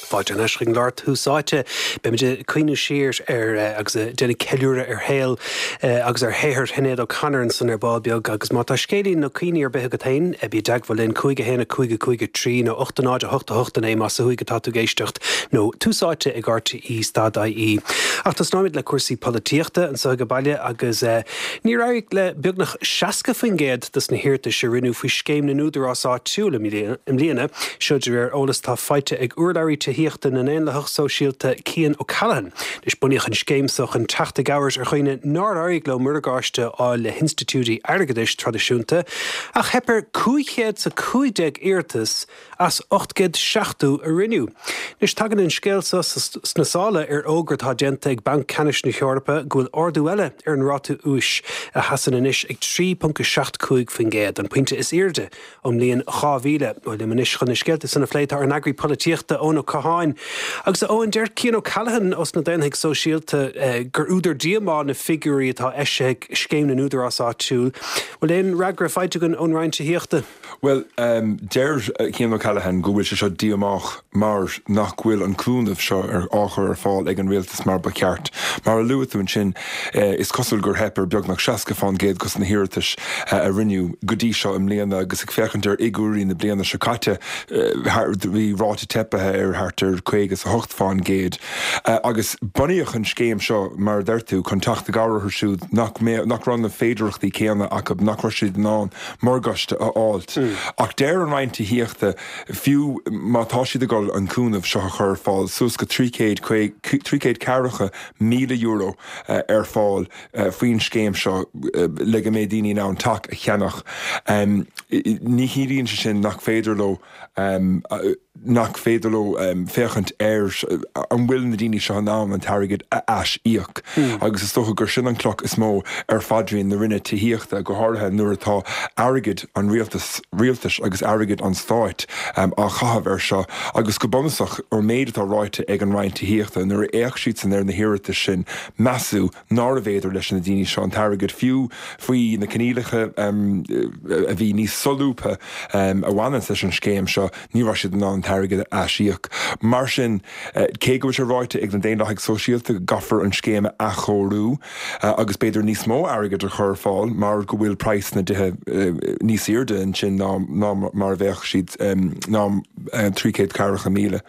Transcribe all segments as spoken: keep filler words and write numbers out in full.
Fáilte anois chuig an gclár Tús Áite. Beimid ag cuimhneamh siar ar agus ag déanamh ceiliúradh ar shaol agus ar shaothar Shinéad O'Connor ansan ar ball beag agus má tá scéilín nó cuimhní ar bith agat féin, bí i dteagmháil linn cúig a haon a cúig a cúig a trí nó ocht a náid a hocht a hocht a naoi más ó thuaidh atá tú ag éisteacht nó Tús Áite ag RTE stad IE. Ach tosnóimid le cúrsaí polaitíochta anseo ag baile agus níor éirigh le beagnach seasca faoin gcéad dos na hiarratais a rinneadh faoi scéim na n-údarás áitiúil i mbliana, seo de réir eolas atá faighte ag urlabhraí tithíochta na nDaonlathach Sóisialta Cian O'Callaghan. Is bunaíodh an scéim seo chun teacht i gcabhair ar dhaoine nár éirigh leo morgáiste a fháil le hinstitiúidí airgeadais traidisiúnta, ach theip ar cúig chéad is a cúig déag iarratas as ocht gcéad seachtó a rinneadh. Anois tagann an scéal seo sna sála ar fhógra atá déanta ag Banc Ceannais na hEorpa go bhfuil ardú eile ar an ráta úis a sheasann anois ag trí ponc a seacht cúig faoin gcéad, an pointe is airde ón mbliain dhá mhíle. Bhuel, liom anois chun na scéalta san a phlé tá ár n-eagraí polaitíochta Eoin Ó Catháin. Agus a Eoin, deir Cian O'Callaghan os na Daonlathaigh Sóisialta gur údar díomá na figiúirí atá eisithe ag Scéim na nÚdarás Áitiúil. Bhfuil aon fhreagra faighte againn ón Roinn Tithíochta? Bhuel, deir Cian O'Callaghan go bhfuil sé seo díomách mar nach bhfuil an cúnamh seo ar á chur ar fáil ag an rialtas mar ba cheart. Mar a luaigh tú ansin, is cosúil gur theip ar beagnach seasca fán gcéad dos na hiarratais a rinneadh go dtí seo i mbliana agus ag féachaint ar fhigiúirí na bliana seo caite, bhí ráta teipthe ar thart ar caoga is a hocht fán gcéad. Agus bunaíodh an scéim seo, mar a deir tú, chun teacht i gcabhair orthu siúd nach nach raibh na féidearthachtaí céanna acu, nach raibh siad in ann morgáiste a fháilt. Ach deir an Roinn Tithíochta, fiú má tá siad ag dul an cúnamh seo a chur ar fáil, suas go trí chéad trí chéad ceathracha míle euro ar fáil faoin scéim seo le go mbeidh daoine in ann teach a cheannach, ní chiallaíonn sé sin nach féidir leo nach féidir leo féachaint ar an bhfuil na daoine seo in ann an t-airgead a ais-íoc. Agus is dócha gur sin an cloch is mó ar phaidrín na Roinne Tithíochta, go háirithe nuair atá airgead an rialtas rialtais agus airgead an stáit á chaitheamh air seo. Agus go bunúsach, ón méid atá ráite ag an Roinn Tithíochta, nuair a fhéach siadsan ar na hiarratais sin, measadh nárbh fhéidir leis na daoine seo an t-airgead, fiú faoi na coinníollacha a bhí níos solúbtha a bhaineanns leis an scéim seo, ní raibh siad in ann an t-airgead a aisíoc. Mar sin, cé go bhfuil sé ráite ag na Daonlathaigh Sóisialta go gcaithfear an scéim a athchóiriú agus b'fhéidir níos mó airgid a chur ar fáil mar go bhfuil praghas na dtithe níos airde ansin ná ná mar a bheadh siad ná trí chéad ceathracha míle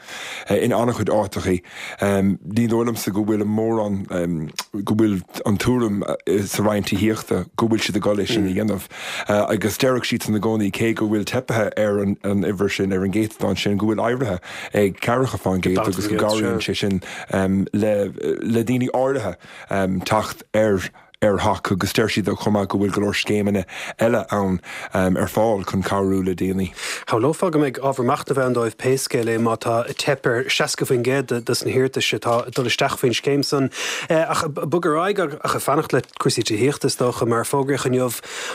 in an-chuid áiteachaí. Ní dóigh liomsa go bhfuil mórán go bhfuil an tuairim sa Roinn Tithíochta go bhfuil siad ag dul é sin a dhéanamh. Agus déarfadh siadsan i gcónaí cé go bhfuil teipthe ar an uimhir sin, ar an gcéatadán sin, go bhfuil éirithe ag ceathracha fán gcéad agus go gcabhraíonn sé sin le le daoine áirithe teacht ar ar theach agus deir siad chomh maith go bhfuil go leor scéimeanna eile ann ar fáil chun cabhrú le daoine. Shamhlófá go mbeidh ábhar machnaimh ann dóibh pé scéal é má tá teip ar seasca faoin gcéad de na hiarratais atá ag dul isteach faoin scéim san. Ach bog ar aghaidh ach ag fanacht le cúrsaí tithíochta is dócha mar fógraíodh inniu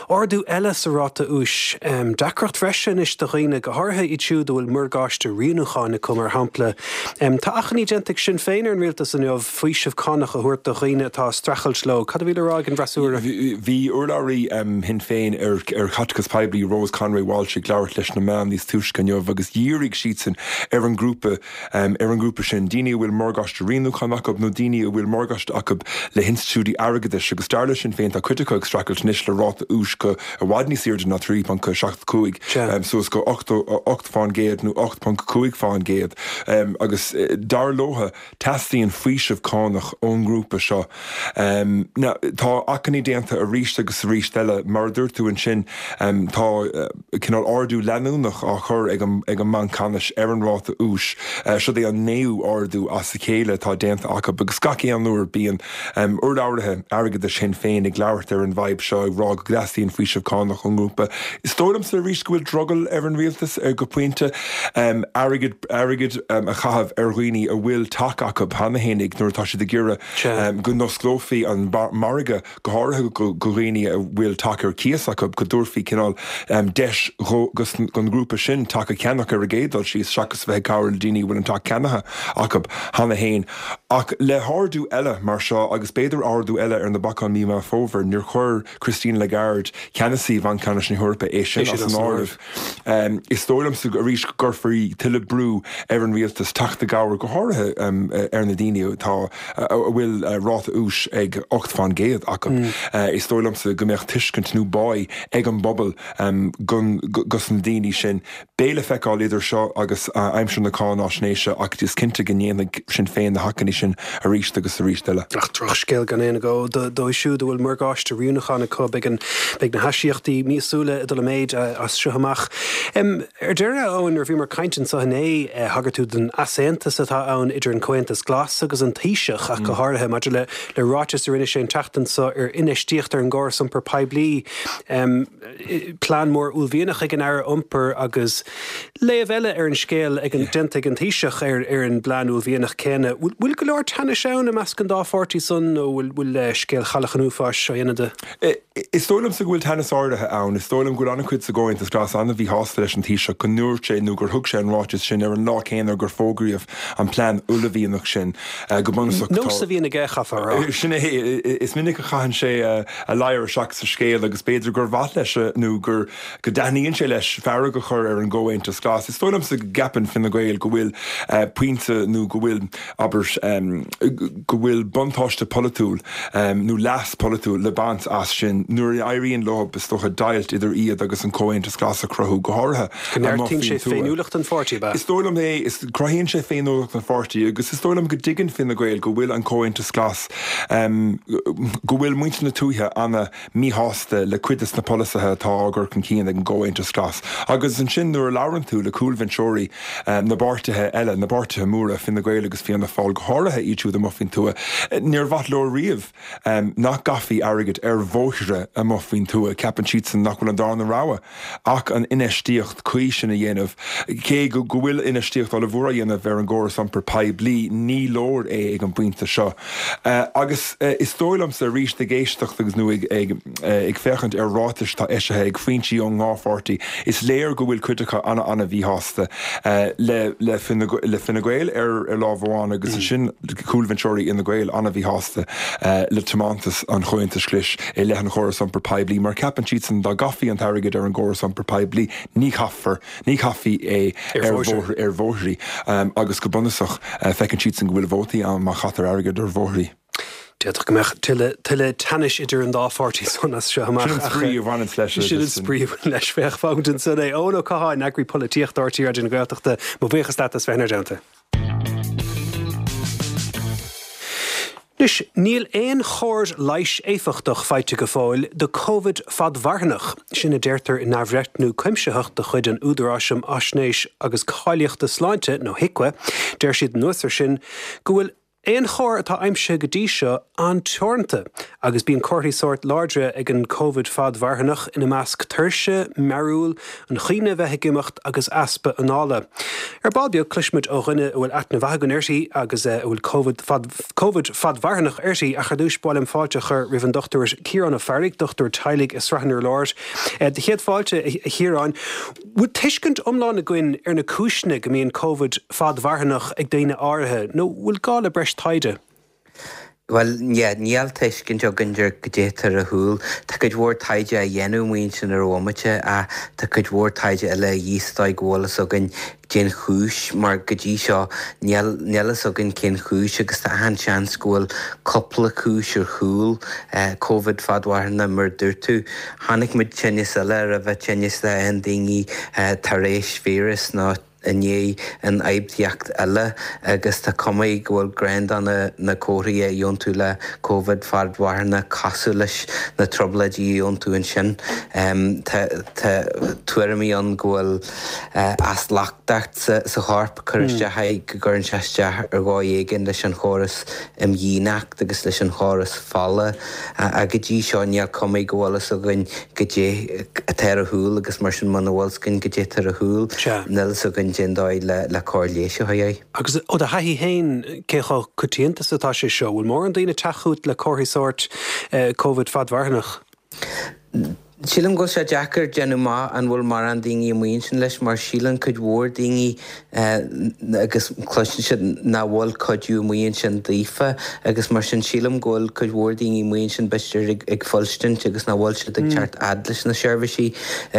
ardú eile sa ráta úis. Deacracht bhreise anois do dhaoine, go háirithe iad siúd a bhfuil morgáiste rianúcháin acu mar shampla. Tá achainí déanta ag Sinn Féin ar an rialtas inniu faoiseamh cánach a thabhairt do dhaoine atá ag streachailt leo. Cad a bhí le rá ag an bhfreasúra? Bhí urlabhraí Shinn Féin ar chaiteachas poiblí Rose Conway Walsh ag labhairt leis na meáin níos túisce inniu agus dhírigh siadsan ar an ngrúpa ar an ngrúpa sin, daoine a bhfuil morgáiste rianúcháin acu nó daoine a bhfuil morgáiste acu le hinstitiúidí airgeadais agus dar le Sinn Féin tá cuid acu ag streachailt anois le ráta úis go i bhfad níos airde ná trí ponc seacht cúig suas go ocht fán gcéad nó ocht ponc cúig fán gcéad agus dar leo teastaíonn faoiseamh cánach ón ngrúpa seo. Now tá achainí déanta arís agus arís eile, mar a dúirt tú ansin tá cineál ardú leanúnach á chur ag an ag an mBanc Ceannais ar an ráta úis. Seo é an naoú ardú as a chéile atá déanta acu agus gach aon uair bíonn urlabhraithe airgeadais Shinn Féin ag labhairt ar an bhfadhb seo ag rá go dteastaíonn faoiseamh cánach ón ngrúpa. Is dóigh liomsa arís go bhfuil drogall ar an rialtas ar go pointe airgead airgead a chaitheamh ar dhaoine a bhfuil teach acu cheana fhéinig nuair atá siad ag iarraidh go n-osclófaí an margadh go háirithe go dhaoine a bhfuil teach ar cíos acu, go dtabharfaí cineál deis don ghrúpa sin teach a cheannach ar an gcéad dul síos seachas a bheith ag cabhrú le daoine a bhfuil an teach ceannaithe acu cheana féin. Ach le hardú eile mar seo agus b'fhéidir ardú eile ar na bacáin mí Meán Fómhair, níor chuir Christine Lagarde, ceannasaí Bhanc Ceannais na hEorpa, é sin as an áireamh. Is dóigh liomsa arís go gcuirfí tuilleadh brú ar an rialtas teacht i gcabhair, go háirithe ar na daoine atá a bhfuil ráta úis ag ocht faoin gcéad acu. Is dóigh liomsa go mbeadh tuiscint nó báidh ag an bpobal dos na daoine sin. Beidh le feiceáil idir seo agus aimsir na cáináisnéise ach is cinnte go ndéanfaidh Sinn Féin na hachainí sin arís agus arís eile. Ach drochscéal gan aon agó dóibh siúd a bhfuil morgáiste rianúcháin acu, beidh beidh na haisíocaíochtaí míosúla ag dul i méid as seo amach. Ar deireadh, a Eoin, nuair a bhíomar ag caint anseo inné, thagair tú don easaontas atá ann idir an Comhaontas Glas agus an Taoiseach ach go háirithe maidir le le ráiteas a rinne sé an tseachtain seo ar infheistíocht ar an gcóras iompair poiblí, plean mór uaillmhianach ag an Aire Iompair agus léamh eile ar an scéal ag an déanta ag an Taoiseach ar ar an bplean uaillmhianach céanna. Bhfuil go leor teannais ann i measc an dá pháirtí san nó bhfuil bhfuil scéal Chailleach an Uafáis á dhéanamh de? Is dóigh liomsa go bhfuil teannas áirithe ann. Is dóigh liom go bhfuil an-chuid sa gComhaontas Glas an-mhíshásta leis an Taoiseach go ndúirt sé nó gur thug sé an ráiteas sin ar an lá céanna gur fógraíodh an plean uaillmhianach sin. Go bunúsach tá. Nós a bhíonn aige, chaithfeá a rá. Sin é. Is minic a chaitheann sé a ladhar isteach sa scéal agus b'fhéidir gur mhaith leis nó gur go dtaitníonn sé leis fearg a chur ar an gComhaontas Glas. Is dóigh liomsa go gceapann Fine Gael go bhfuil pointe nó go bhfuil, abair, go bhfuil buntáiste polaitiúil nó leas polaitiúil le baint as sin nuair a éiríonn leo, is dócha, deighilt idir iad agus an Comhaontas Glas a chruthú, go háirithe Go neartaíonn sé féiniúlacht an pháirtí, ab ea? Is dóigh liom é. Is cruthaíonn sé féiniúlacht an pháirtí agus is dóigh liom go dtuigeann Fine Gael go bhfuil an Comhaontas Glas, go bhfuil muintir na tuaithe ana míshásta le cuid des na polasaithe atá á gcur chun cinn ag an gComhaontas Glas. Agus ansin nuair a labhrann tú le cúlbhinseoirí na bpáirtithe eile, na bpáirtithe móra, Fine Gael agus Fianna Fáil, go háirithe iad siúd amuigh faoin tuath, níor mhaith leo riamh nach gcaithfí airgead ar bhóithre amuigh faoin tuath. Ceapann siadsan nach bhfuil an darna rogha ach an infheistíocht cuí sin a dhéanamh. Cé go bhfuil infheistíocht ollmhór á dhéanamh ar an gcóras iompair poiblí, ní leor é ag an bpointe seo. Agus is dóigh liomsa arís ag éisteacht agus nó ag ag féachaint ar ráitis atá eisithe ag foinsí ón ndá pháirtí, is léir go bhfuil cuid acu ana-ana-mhíshásta le le le Fine Gael ar ar lámh amháin agus ansin cúlbhinseoirí Fhine Gael ana-mhíshásta le tiomantas an Chomhaontais Ghlais i leith an chóras iompair poiblí mar ceapann siadsan dá gcaithfí an t-airgead ar an gcóras iompair poiblí ní chaithfear ní chaithfí é ar ar bhóithrí agus go bunúsach feiceann siadsan go bhfuil vótaí ann má chaitear airgead ar bhóithrí. D'fhéadfadh go mbeadh tuilleadh tuilleadh teannais idir an dá pháirtí san as seo amach. Sin an spraoi a bhaineanns leis. Sin an spraoi a bhaineann leis. Féach, fágfaimid ansan é. Eoin Ó Catháin, Eagraí Polaitíochta R T É Raidió na Gaeltachta, mo bhuíochas leat as bheith inár dteannta. Anois, níl aon chóir leighis éifeachtach faighte go fóill do Covid fadmharthanach. Sin a deirtear in athbhreithniú cuimsitheach de chuid an Údaráis um Fhaisnéis agus Cáilíochta Sláinte, nó HIQA. Deir siad anuas air sin go bhfuil aon chóir atá aimsithe go dtí seo an-teoranta, agus bíonn comharthaí sóirt láidre ag an Covid fadmharthanach, ina measc tuirse, mearúil, an chuimhne a bheith ag imeacht agus easpa anála. Ar ball beag, cloisfimid ó dhuine a bhfuil aithne mhaith againn uirthi agus a bhfuil Covid Covid fadmharthanach uirthi, ach ar dtús ba mhaith liom fáilte a chur roimh an Dochtúir Ciarán Ó Fearraigh, dochtúir teaghlaigh i Srath an Urláir. Do chéad fáilte, a Chiaráin. Bhfuil tuiscint iomlán againn ar na cúiseanna go mbíonn Covid fadmharthanach ag daoine áirithe, nó bhfuil gá le breis taighde? Bhuel, yeah, níl tuiscint againn ar goidé atá ar siúl. Tá cuid mhór taighde á dhéanamh amuigh ansin ar an bhomaite ach tá cuid mhór taighde eile a dhíth sa dóigh go bhfuil fhios againn cén chúis, mar go dtí seo níl níl fhios againn cén chúis agus tá achan seans go bhfuil cúpla cúis ar chúl Covid fadmharthanach mar a dúirt tú. Chonaic muid tinneas eile a raibh tinneas le aon daoine tar éis víreas nó i ndiaidh ionfhabhtaíocht eile agus tá cuma go bhfuil cuid de na na comharthaí a gheobhann tú le Covid fadmharthanach cosúil leis na trioblóidí a gheobhann tú ansin. Tá tá tuairimí ann go bhfuil asluchtacht sa sa chorp ag cur isteach air, go gcuireann sé isteach ar dhóigh éigin leis an chóras imdhíonachta agus leis an chóras fola ach go dtí seo níl cuma go bhfuil fhios againn goidé atá ar siúl agus mar sin muna bhfuil fhios againn goidé atá ar siúl, níl fhios againn cén dóigh le cóir leighis a chur air. Agus ó do thaithí féin, cé chomh coitianta is atá sé seo? Bhfuil mórán daoine ag teacht chugat le comharthaí sóirt Covid fadmharthanach? Sílim go bhfuil sé deacair déanamh amach an bhfuil mórán daoine amuigh ansin leis mar síleann cuid mhór daoine agus cloiseann siad nach bhfuil cuidiú amuigh ansin daofa agus mar sin sílim go bhfuil cuid mhór daoine amuigh ansin b'fhéidir ag fuilstint agus nach bhfuil siad ag teacht fhad leis na seirbhísí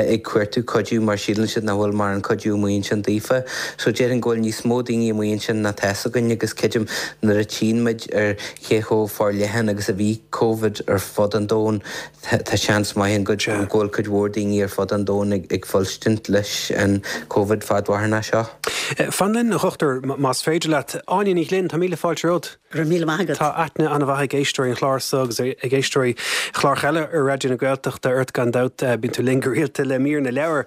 ag cuartú cuidiú mar síleann siad nach bhfuil mórán cuidiú amuigh ansin daofa. So déarfainn go bhfuil níos mó daoine amuigh ansin ná tá fhios againn agus creidim nuair a tchíonn muid ar cé chomh forleathan agus a bhí Covid ar fud an domhain tá seans maith ann go go bhfuil cuid mhór daoine ar fud an domhain ag fuilstint leis an Covid fadmharthanach seo. Fan linn, a dhochtúir, más féidir leat. Áine Ní Ghlinn, tá míle fáilte romhat. Go raibh míle maith agat. Tá aithne an-mhaith ag éisteoirí an chláir seo agus ag éisteoirí chláracha eile ar Raidió na Gaeltachta ort gan dabht, bíonn tú linn go rialta le mír na leabhar.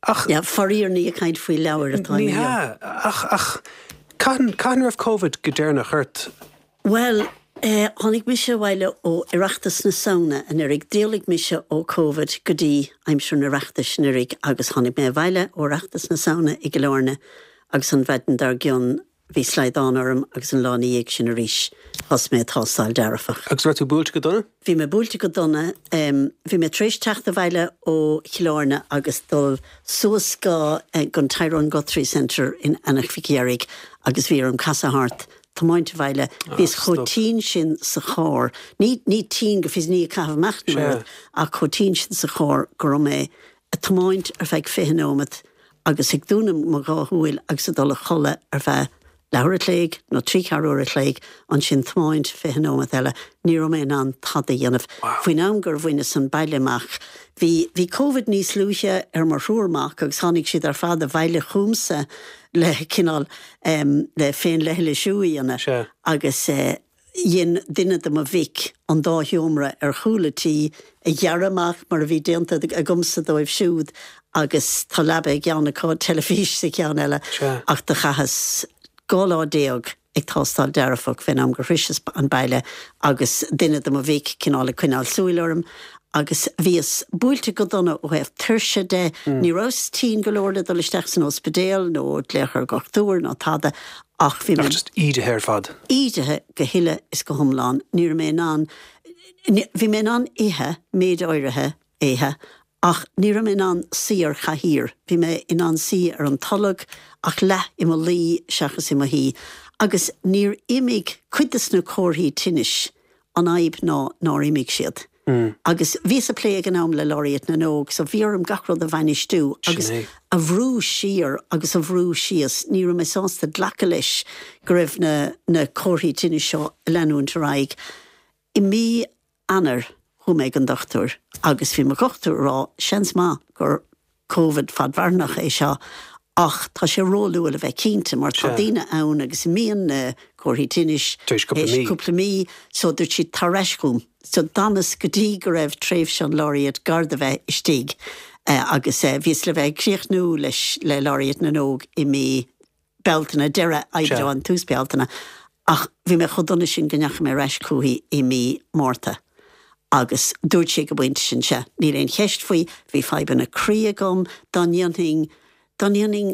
Ach. Yeah, faraor ní ag caint faoi leabhair atá Ní hea, ach, ach cathain, cathain a raibh Covid go deireanach ort? Bhuel, tháinig mise abhaile ó Oireachtas na Samhna anuraidh. D'éalaigh mise ó Covid go dtí aimsir an Oireachtais anuraidh agus tháinig mé abhaile ó Oireachtas na Samhna i gCill Airne agus an mhaidin dár gcionn bhí slaghdán orm agus an lá ina dhiaidh sin arís thosaigh mé ag tástáil dearfach. Agus raibh tú buailte go dona? Bhí mé buailte go dona. Bhí mé tar éis teacht abhaile ó Chill Airne agus dul suas go an Tyrone Guthrie Centre in Eanach Mhic Dheirg agus bhí orm casadh thart tiomáint abhaile. Bhíos chomh tinn sin sa charr, ní ní tinn go fios ní ag caitheamh amach nó rud, ach chomh tinn sin sa charr go raibh mé ag tiomáint ar feadh fiche nóiméad agus ag dúnadh mo dhá shúil agus ag dul a chodladh ar feadh leathuair a chloig nó trí ceathrú uair a chloig, ansin tiomáint fiche nóiméad eile. Ní raibh mé in ann tada a dhéanamh. Faoin am gur bhaineas an baile amach, bhí bhí Covid níos luaithe ar mo thriúr mac agus tháinig siad ar fad abhaile chugamsa le cineál le féinleithlisiú a dhéanamh agus dhein duine de mo mhic an dá sheomra ar chúl an tí a ghearradh amach mar a bhí déanta agamsa dóibh siúd agus tá leaba i gceann acu, teilifís sa cheann eile ach do chaitheas dhá lá déag ag tástáil dearfach fén am gur shroiseas an baile agus duine de mo mhic cineál ag coinneáil súil orm agus bhíos buailte go dona ó thaobh tuirse de, ní rabhas tinn go leor le dul isteach san ospidéal nó glaoch ar dhochtúir ná tada ach bhí mé. Ach just ídithe ar fad. Ídithe go huile is go hiomlán. Ní raibh mé in ann, bhí mé in ann ithe méid áirithe ithe ach ní raibh mé in ann suí ar chathaoir. Bhí mé in ann suí ar an tolg ach leath i mo luí seachas i mo shuí. Agus níor imigh cuid de na comharthaí tinnis, an fhadhb ná nár imigh siad. Agus bhíos ag plé ag an am le Laureate na nÓg, so bhí orm gach rud a bhainistiú agus a bhrú siar agus a bhrú síos. Ní raibh mé sásta glacadh leis go raibh na na comharthaí tinnis seo ag leanúint ar aghaidh. I mí Eanáir chuaigh mé ag an dochtúir agus bhí mo dhochtúir ag rá seans maith gur Covid fadmharthanach é seo ach tá sé róluath le bheith cinnte mar tá daoine ann agus imíonn na comharthaí tinnis tar éis cúpla mí so dúirt sí tar ar ais chugam. So d'fhanas go dtí go raibh tréimhse an Laureate gar do bheith istigh agus bhíos le bheith ag críochnú leis le Laureate na nÓg i mí Bealtaine, deireadh Aibreáin, tús Bealtaine ach bhí mé chomh dona sin go ndeachaigh mé ar ais chuici i mí Márta. Agus dúirt sí ag an bpointe sin, sea, níl aon cheist faoi, bhí fadhbanna croí agam, dá ndéanfainn, dá ndéanfainn,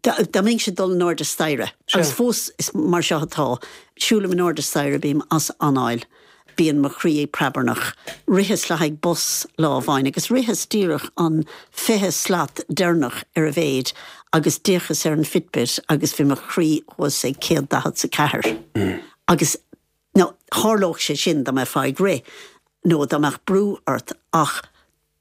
dá mbeinnse ag dul in airde staighre, agus fós is mar seo atá, siúlaim in airde staighre, bím as anáil, bíonn mo chroí ag preabarnach. Ritheas le haghaidh bus lá amháin agus ritheas díreach an fiche slat deireanach ar a mhéid agus d'fhéachas ar an Fitbit agus bhí mo chroí thuas ag céad daichead 's a ceathair. Agus Now, tharlódh sé sin dá mbeifeá ag rith nó dá mbeadh brú ort ach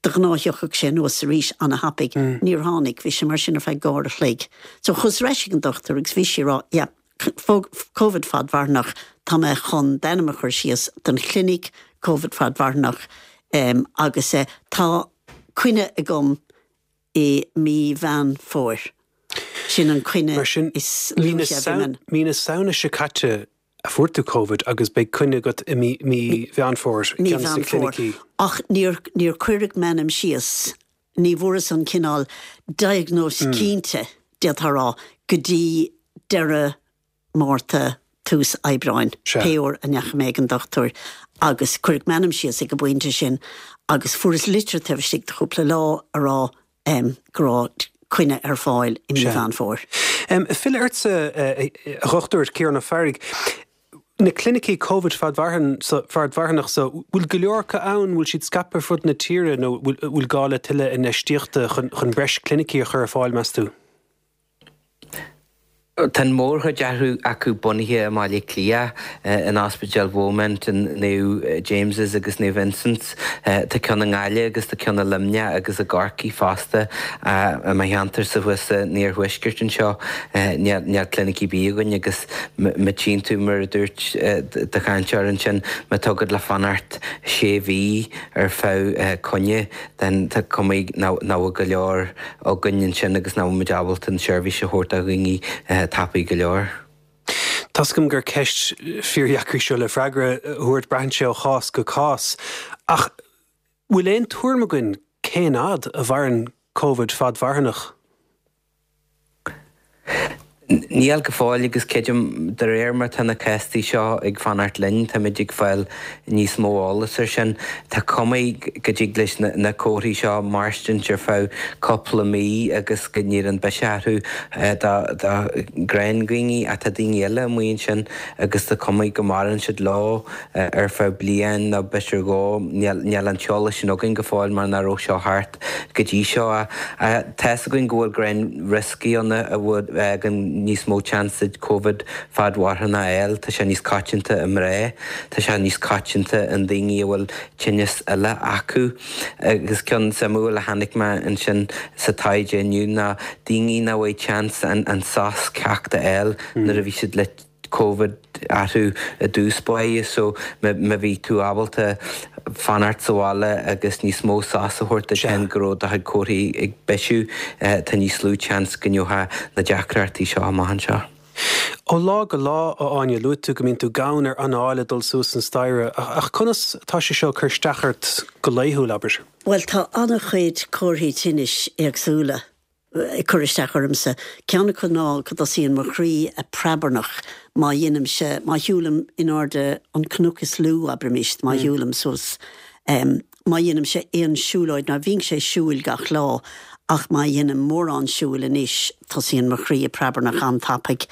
de ghnáth thiocfadh sé anuas arís ana-thapaidh. Níor tháinig, bhí sé mar sin ar feadh dhá uair a chloig. So chuas ar ais ag an dochtúir agus bhí sí ag rá, yeah, Covid fadmharthanach, tá mé chun d'ainm a chur síos don chlinic Covid fadmharthanach agus tá coinne agam i mí Mheán Fómhair. Sin an coinne is luaithe a bhí mé. Mí na Samhna seo caite a fuair tú Covid agus beidh coinne agat i mí Mheán Fómhair i gceann de na clinicí. Ach níor níor cuireadh m'ainm síos, ní bhfuaireas an cineál diagnóis cinnte, d'fhéadfá a rá, go dtí deireadh Márta, tús Aibreáin, pé uair a ndeachaigh mé ag an dochtúir agus cuireadh m'ainm síos ag an bpointe sin agus fuaireas litir taobh istigh de chúpla lá a rá go raibh coinne ar fáil i mí Mheán Fómhair. Filleadh ortsa, a Dhochtúir Ciarán Ó Fearraigh. Na clinicí Covid fadmharthanach so, bhfuil go leor acu ann, bhfuil siad scaipthe ar fud na tíre nó bhfuil gá le tuilleadh infheistíochta chun breis clinicí a chur ar fáil, meas tú? Tá an mhórchuid acu bunaithe i mBaile Átha Cliath, in Ospidéal Beaumont, in Naomh James's agus Naomh Vincent's. Tá ceann i nGaillimh agus tá ceann i Luimneach agus i gCorcaigh fosta. I mo cheantarsa thuas san iarthuaisceart anseo, níl clinic ar bith againn agus má tchíonn tú, mar a dúirt do chainteoir ansin, má tá agat le fanacht sé mhí ar feadh coinne, then tá cuma nach bhfuil go leor againn ansin agus nach bhfuil muid ábalta an tseirbhís a thabhairt do dhaoine tapaidh go leor. Tá's agam gur ceist fíordheacair seo le freagra a thabhairt, braitheann sé ó chás go cás. Ach bhfuil aon tuairim againn cén fhad a mhaireann Covid fadmharthanach? Níl go fóill agus creidim de réir mar tá na céastaí seo ag fanacht linn, táimid ag fáil níos mó eolas ar sin. Tá cuma go dtig leis na comharthaí seo mairstint ar feadh cúpla mí agus go n-éiríonn biseach orthu do ghnáthdhaoine ach tá daoine eile amuigh ansin agus tá cuma go maireann siad leo ar feadh bliain nó b'fhéidir dhó. Níl an t-eolas sin againn go fóill mar nach raibh seo thart go dtí seo. Tá's againn go bhfuil gnáthrioscaí ann a bhfuil níos mó seans duit Covid fadmharthanach a fháil, tá sé níos coitianta i mná, tá sé níos coitianta i ndaoine a bhfuil tinneas eile acu. Agus ceann suimiúil a chonaic mé ansin sa taighde inniu ná daoine nach bhfuil seans an sos ceart a fháil nuair a bhí siad le Covid orthu i dtús báire so má bhí tú ábalta fanacht sa bhaile agus níos mó sos a thabhairt duit féin go raibh do chuid comharthaí ag bisiú, tá níos lú seans go ngeofá na deacrachtaí seo amach anseo. Ó lá go lá, a Áine, luaigh tú go mbíonn tú gann ar anáil ag dul suas an staighre, ach conas atá sé seo ag cur isteach ort go laethúil, abair? Bhuel, tá an-chuid comharthaí tinnis éagsúla. ag cur isteach ormsa. Ceann acu ná go dtosaíonn mo chroí ag preabarnach má dhéanaimse, má shiúlaim in airde an cnoc is lú, abraimis, má shiúlaim suas, má dhéanaimse aon siúlóid, ná bhínnse ag siúl gach lá, ach má dhéanaim mórán siúil anois, tosaíonn mo chroí ag preabarnach an-tapaidh.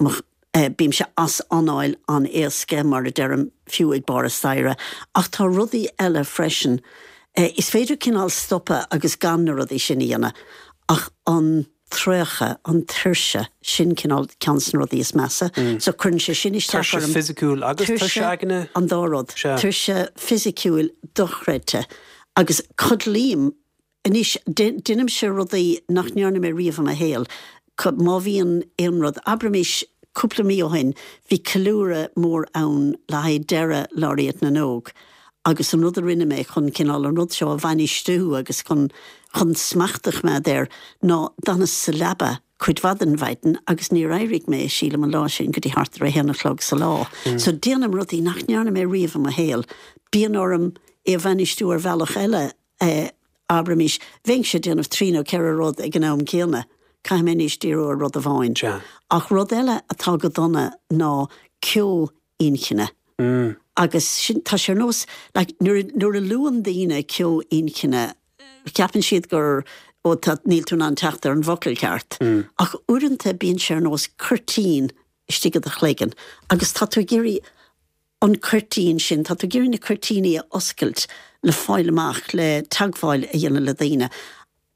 Mo. Bímse as anáil an-éasca, mar a deirim, fiú ag barr an staighre. Ach tá rudaí eile freisin. Is féidir cineál stopadh agus gan na rudaí sin a dhéanamh, ach an traochadh, an tuirse, sin cineál ceann de na rudaí is measa. So cuireann sé sin isteach orm. Tuirse fisiciúil agus tuirse aigne? An dá rud. Tuirse fisiciúil dochreidte. Agus codlaím Anois, déanaimse rudaí nach ndearna mé riamh i mo shaol. Má bhíonn aon rud, abraimis, cúpla mí ó shin, bhí ceiliúradh mór ann le haghaidh deireadh Laureate na nÓg agus an rud a rinne mé chun cineál an rud seo a bhainistiú agus chun chun smacht a choimeád air ná d'fhanas sa leaba cuid mhaith den mhaidin agus níor éirigh mé, sílim, an lá sin go dtí thart ar a haon a chlog sa lá. So déanaim rudaí nach ndearna mé riamh i mo shaol. Bíonn orm é a bhainistiú ar bhealach eile. Abraimis, bheinnse ag déanamh trí nó ceithre rud ag an am céanna, caithfidh mé anois díriú ar rud amháin. Ach rud eile atá go dona ná ceo inchinne. Agus sin, tá sé ar nós, like, nuair, nuair a luann daoine ceo inchinne, ceapann siad gur, ó, tá, níl tú in ann teacht ar an bhfocal ceart. Ach uaireanta bíonn sé ar nós cuirtín istigh i do chloigeann agus tá tú ag iarraidh an cuirtín sin, tá tú ag iarraidh na cuirtíní a oscailt le fáil amach, le teagmháil a dhéanamh le daoine.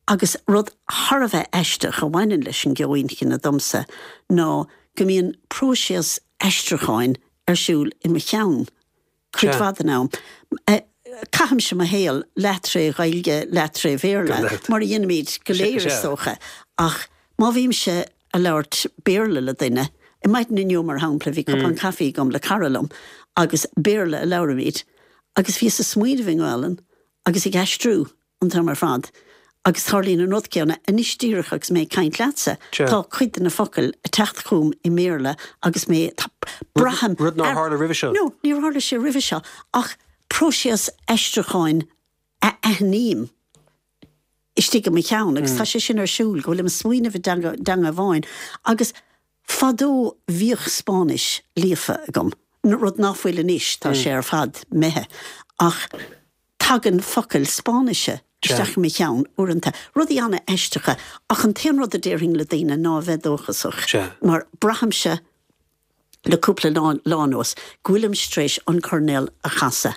Agus rud thar a bheith aisteach a bhaineann leis an gceo inchinne domsa ná go mbíonn próiseas aistriúcháin ar siúl i mo cheann cuid mhaith den am. Caithimse mo shaol leath tré Ghaeilge, leath tré Bhéarla, mar a dhéanaimid go léir is dócha, ach má bhímse ag labhairt Béarla le duine, i maidin inniu mar shampla bhí cupán caife agam le cara liom agus Béarla a labhraímid agus bhíos ag smaoineamh i nGaelainn agus ag aistriú an t-am ar fad agus tarlaíonn an rud céanna anois díreach agus mé ag caint leatsa, tá cuid de na focail ag teacht chugam i mBéarla agus mé, tá, braithim. Rud nár tharla roimhe seo? No, níor tharla sé roimhe seo ach próiseas aistriúcháin a aithním istigh i mo cheann agus tá sé sin ar siúl, go bhfuilim ag smaoineamh i dteanga amháin agus fadó bhíodh Spáinnis líofa agam, rud nach bhfuil anois, tá sé ar fad imithe, ach tagann focail Spáinnise isteach i mo cheann uaireanta, rudaí an-aisteacha, ach an t-aon rud a déarfainn le daoine ná a bheith dóchasach, mar braithimse. le cúpla lá anuas, go bhfuilimse tar éis an coirnéal a chasadh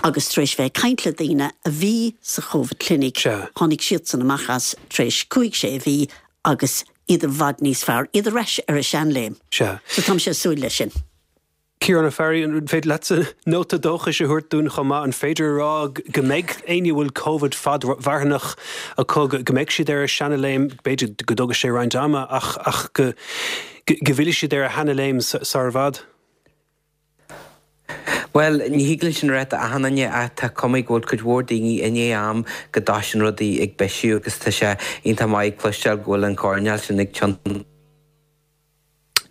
agus tar éis bheith ag caint le daoine a bhí sa Covid clinic, tháinig siadsan amach as tar éis cúig sé mhí agus iad i bhfad níos fearr, iad ar ais ar a seanléim. So táimse ag súil leis sin. Ciarán Ó Fearraigh, an féidir leatsa nóta dóchais a thabhairt dúinn chomh maith? An féidir a rá go mbeidh éinne a bhfuil Covid fadmharthanach acu, go mbeidh siad ar a seanaléim, b'fhéidir go dtógfaidh sé roinnt ama, ach ach go go bhfillfidh siad ar a sheanaléim sar i bhfad? Bhuel, ní thig linn sin a rá d'achan duine ach tá cuma go bhfuil cuid mhór daoine i ndiaidh am go dtosaíonn rudaí ag bisiú agus tá sé iontach maith cloisteáil go bhfuil an coirnéal sin ag tiontú.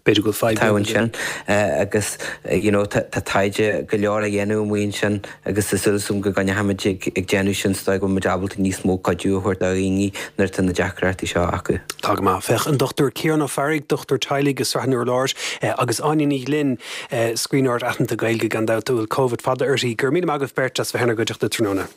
B'fhéidir go bhfuil fadhb ansin agus you know tá taighde go leor á dhéanamh amuigh ansin agus tá súil agam go gcoinneoimid ag déanamh sin is dóigh go bhfuil muid ábalta níos mó cuidiú a thabhairt do dhaoine nuair atá na deacrachtaí seo acu. Tá go maith. Féach, an Dochtúir Ciarán Ó Fearraigh, dochtúir teaghlaigh i Srath an Urláir, agus Áine Ní Ghlinn, scríbhneoir aitheanta Gaeilge gan dabht a bhfuil Covid fada uirthi. Go raibh míle maith agaibh beirt as bheith inár gcuideachta tráthnóna.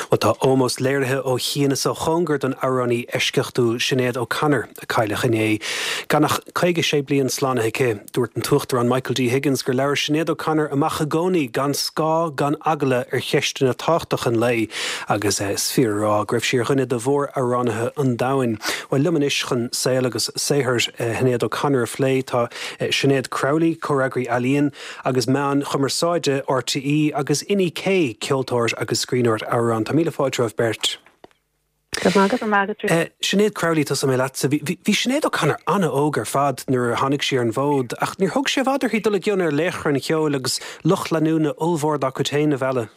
Bhuel, tá ómós léirithe ó chian is ó chóngar don amhránaí eisceachtúil Sinéad O'Connor, a cailleadh inné. Gan ach caoga sé bliain slánaithe aici, dúirt an tUachtarán Michael D. Higgins gur labhair Sinéad O'Connor amach i gcónaí gan scáth gan eagla ar cheisteanna tábhachtacha an lae agus is fíor a rá go raibh sí ar dhuine de mhór-amhránaithe an domhain. Bhuel, liom anois chun saol agus saothar Shinéad O'Connor a phlé tá Sinéad Crowley, Comhfhreagraí Ealaíon agus Meáin Chumarsáide R T E agus Inni K, ceoltóir agus scríbhneoir amhrán. Tá míle fáilte romhaibh beirt. Go raibh maith agat. Sinéad Crowley, tosóidh mé leatsa. Bhí Sinéad O'Connor an-óg ar fad nuair a tháinig sí ar an bhfód, ach níor thóg sé i bhfad uirthi dul i gcion ar laochra an cheoil agus lucht leanúna ollmhór dá cuid féin a mhealladh.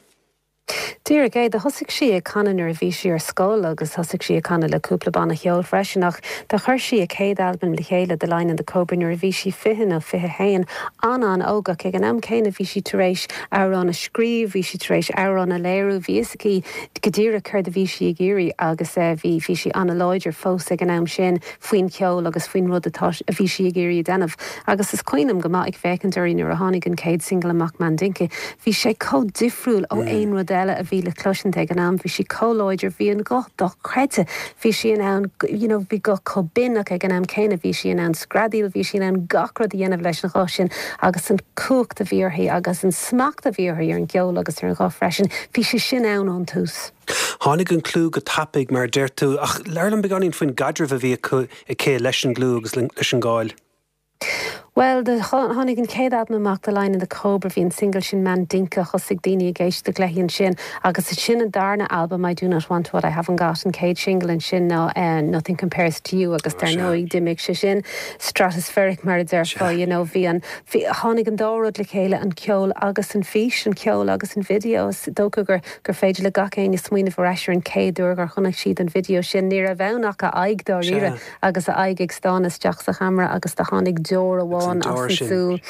Díreach é, do thosaigh sí ag canadh nuair a bhí sí ar scoil agus thosaigh sí ag canadh le cúpla banna cheoil freisin ach do chuir sí a céad albam le chéile, The Lion and the Cobra, nuair a bhí sí fiche nó fiche haon, an-an-óg ach ag an am céanna bhí sí tar éis amhrán a scríobh, bhí sí tar éis amhrán a léiriú, bhí fhios aici go díreach céard a bhí sí ag iarraidh agus bhí bhí sí an-láidir fós ag an am sin faoin cheol agus faoin rud atá a bhí sí ag iarraidh a dhéanamh. Agus is cuimhin liom go maith ag féachaint uirthi nuair a tháinig an chéad single amach Mandinka, bhí sé chomh difriúil ó aon rud eile a bhí le cloisint ag an am, bhí sí chomh láidir, bhí an guth dochreidte, bhí sí in ann you know bhí guth chomh binn ach ag an am céanna bhí sí in ann screadaíl, bhí sí in ann gach rud a dhéanamh leis an ghuth sin agus an cumhacht a bhí uirthi agus an smacht a bhí uirthi ar an gceol agus ar an ghuth freisin, bhí sé sin ann ón tús. Tháinig an clú go tapaidh mar a deir tú, ach labhair liom beagáinín faoin gcaidreamh a bhí aici leis an gclú agus leis an gcáil. Bhuel, do tháinig an chéad albam amach, The Lion and the Cobra, bhí an single sin Mandinka, thosaigh daoine ag éisteacht léi ansin agus ansin an darna albam I Do Not Want What I Haven't Got, an chéad single ansin ná Nothing Compares to You agus dar ndóigh d'imigh sé sin stratospheric mar a déarfá, you know, bhí an, bhí, tháinig an dá rud le chéile, an ceol agus an fís, an ceol agus an video. Is dócha gur, gur féidir le gach éinne smaoineamh ar ais ar an chéad uair gur chonaic siad an video sin, ní raibh ann ach a aghaidh dáiríre agus a aghaidh ag stánadh isteach sa cheamara agus do tháinig deoir amháin as an súil